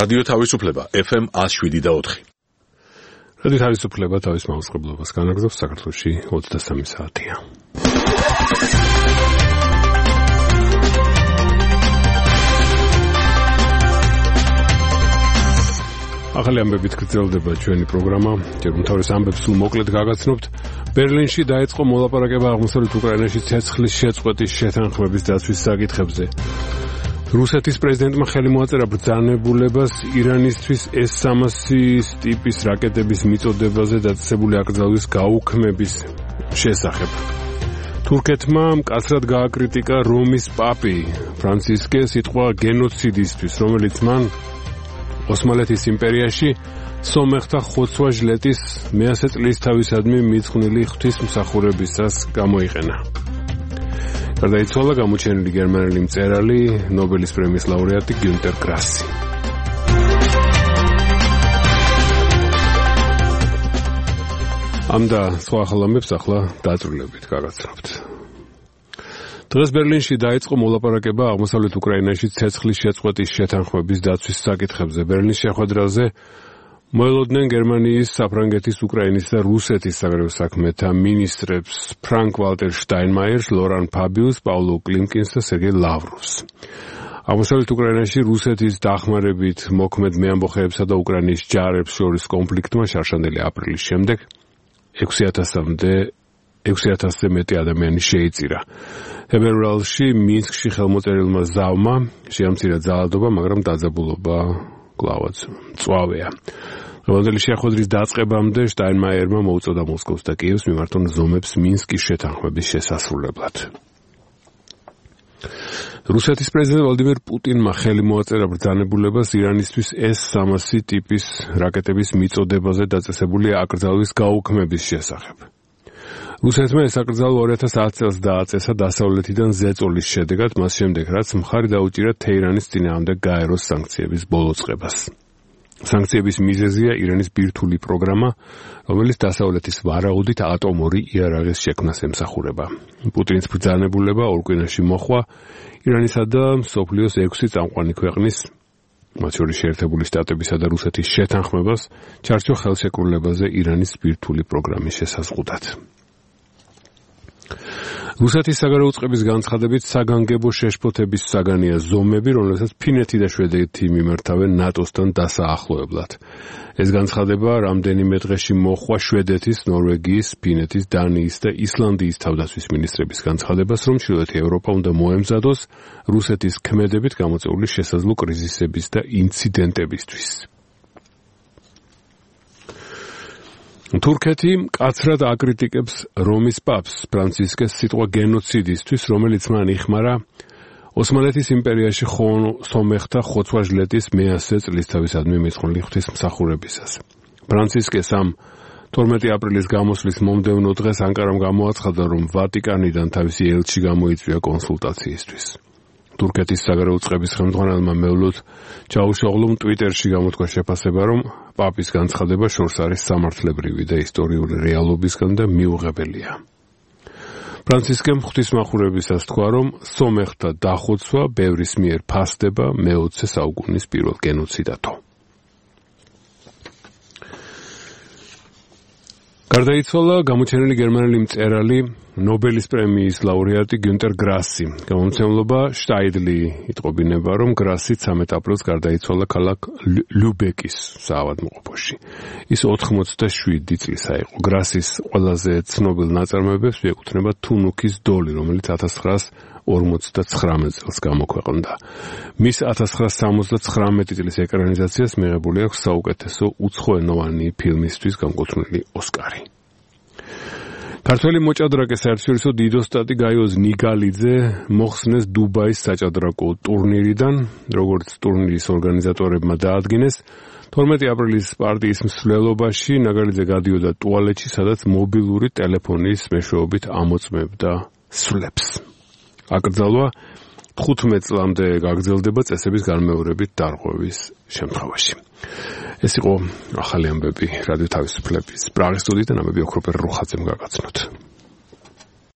რადიო თავისუფლება FM 107.4. რადიო თავისუფლება თავის მაუწყებლობას განაგრძობს საქართველოში 23 საათია. ახალი ამბებით გრძელდება ჩვენი პროგრამა. ჯერ უმთავრეს ამბებს სულ მოკლედ გაგაცნობთ. ბერლინში დაიწყო მოლაპარაკება აღმოსავლეთ უკრაინაში ცეცხლის შეწყვეტის შეთანხმების დაცვის საკითხებზე. რუსეთის პრეზიდენტმა ხელი მოაწერა ბრძანებულებას ირანისთვის S-300 ტიპის რაკეტების მიწოდებაზე დაწესებული აკრძალვის გაუქმების შესახებ. თურქეთმა მკაცრად გააკრიტიკა რომის პაპი ფრანცისკე სიტყვა გენოციდისთვის, რომელიც მან ოსმალეთის იმპერიაში სომეხთა ხოცვა-ჟლეტის მეასე წლისთავისადმი მიძღვნილი ღვთისმსახურებისას გამოიყენა. გარდაიცვალა გამოჩენილი გერმანელი მწერალი, ნობელის პრემიის ლაურეატი გიუნტერ გრასი. ამ და სხვა ახალ ამბებს ახლა დაწვრილებით გაგაცნობთ. დღეს ბერლინში დაიწყო მოლაპარაკება აღმოსავლეთ უკრაინაში ცეცხლის შეწყვეტის შეთანხმების დაცვის საკითხებზე. ბერლინის შეხვედრაზე მოელოდნენ გერმანიის, საფრანგეთის, უკრაინის და რუსეთის საგარეო საქმეთა მინისტრებს ფრანკ ვალტერ შტაინმაიერს, ლორან ფაბიუს, პაულო კლიმკინს და სერგეი ლავროვს. აღმოსავლეთ უკრაინაში რუსეთის დახმარებით მოქმედ მეამბოხეებსა და უკრაინის ჯარებს შორის კონფლიქტმა შარშანდელი აპრილის შემდეგ 6,000-ზე მეტი ადამიანი შეიწირა. თებერვალში მინსკში ხელმოწერილმა ზავმა შეამცირა ძალადობა, მაგრამ დაძაბულობა კლავაც მწვავეა. დღევანდელი შეხვედრის დაწყებამდე შტაინმაიერმა მოუწოდა მოსკოვს და კიევს მიმართონ ზომებს მინსკის შეთანხმების შესასრულებლად. რუსეთის პრეზიდენტ ვლადიმერ პუტინმა ხელი მოაწერა ბრძანებულებას ირანისთვის S-300 ტიპის რაკეტების მიწოდებაზე დაწესებული აკრძალვის გაუქმების შესახებ. რუსეთმა ეს აკრძალვა 2010 წელს დააწესა დასავლეთიდან ზეწოლის შედეგად, მას შემდეგ რაც მხარი დაუჭირა თეირანის წინააღმდეგ გაეროს სანქციების ბოლოწყებას. სანქციების მიზეზია ირანის ბირთვული პროგრამა, რომელიც დასავლეთის ვარაუდით ატომური იარაღის შექმნას ემსახურება. პუტინის ბრძანებულება ორ კვირაში მოჰყვა ირანისა და მსოფლიოს 6 წამყვანი ქვეყნის, მათ შორის შეერთებული შტატებისა და რუსეთის შეთანხმებას ჩარჩო ხელშეკრულებაზე ირანის ბირთვული პროგრამის შესაზღუდად. რუსეთის საგარეო უწყების განცხადებით საგანგებო შეშფოთების საგანია ზომები, რომელსაც ფინეთი და შვედეთი მიმართავენ ნატოსთან დასაახლოებლად. ეს განცხადება რამდენიმე დღეში მოჰყვა შვედეთის, ნორვეგიის, ფინეთის, დანიის და ისლანდიის თავდაცვის მინისტრების განცხადებას, რომ ჩრდილოეთი ევროპა უნდა მოემზადოს რუსეთის ქმედებით გამოწვეული შესაძლო კრიზისების და ინციდენტებისთვის. თურქეთი მკაცრად აკრიტიკებს რომის პაპს ფრანცისკეს სიტყვა გენოციდისთვის, რომელიც მან იხმარა ოსმალეთის იმპერიაში სომეხთა ხოცვა-ჟლეტის მეასე წლისთავისადმი მიძღვნილი ღვთისმსახურებისას. ფრანცისკეს ამ 12 აპრილის გამოსვლის მომდევნო დღეს ანკარამ გამოაცხადა, რომ ვატიკანიდან თავისი ელჩი გამოიწვია კონსულტაციისთვის. თურქეთის საგარეო უწყების ხელმძღვანელმა მევლოდ ჩაუშოღლუმ ტვიტერში გამოთქვა შეფასება, რომ პაპის განცხადება შორს არის სამართლებრივი და ისტორიული რეალობისგან და მიუღებელია. ფრანცისკემ ღვთისმსახურებისას თქვა, რომ სომეხთა დახოცვა ბევრის მიერ ფასდება მე-20 საუკუნის პირველ გენოციდათო. გარდაიცვალა გამოჩენილი გერმანელი მწერალი, ნობელის პრემიის ლაურეატი გიუნტერ გრასი. გამომცემლობა შტაიდლი იტყობინება, რომ გრასი 13 აპრილს გარდაიცვალა ქალაქ ლუბეკის საავადმყოფოში. ის 87 წლისა იყო. გრასის ყველაზე ცნობილ ნაწარმოებებს მიეკუთვნება თუნუქის დოლი, რომელიც 1959 წელს გამოქვეყნდა. მის 1979 წლის ეკრანიზაციას მიღებული აქვს საუკეთესო უცხოენოვანი ფილმისთვის განკუთვნილი ოსკარი. ქართველი მოჭადრაკე საერთაშორისო დიდოსტატი გაიოზ ნიგალიძე მოხსნეს დუბაის საჭადრაკო ტურნირიდან, როგორც ტურნირის ორგანიზატორებმა დაადგინეს. 12 აპრილის პარტიის მსვლელობაში ნიგალიძე გადიოდა ტუალეტში, სადაც მობილური ტელეფონის მეშვეობით ამოწმებდა სვლებს. აკრძალვა 15 წლამდე გაგრძელდება წესების განმეორებით დარღვევის შემთხვევაში. ეს იყო ახალი ამბები რადიო თავისუფლების პრაღის სტუდიიდან, ამბები ოქროპერ რუხაძემ გაგაცნოთ.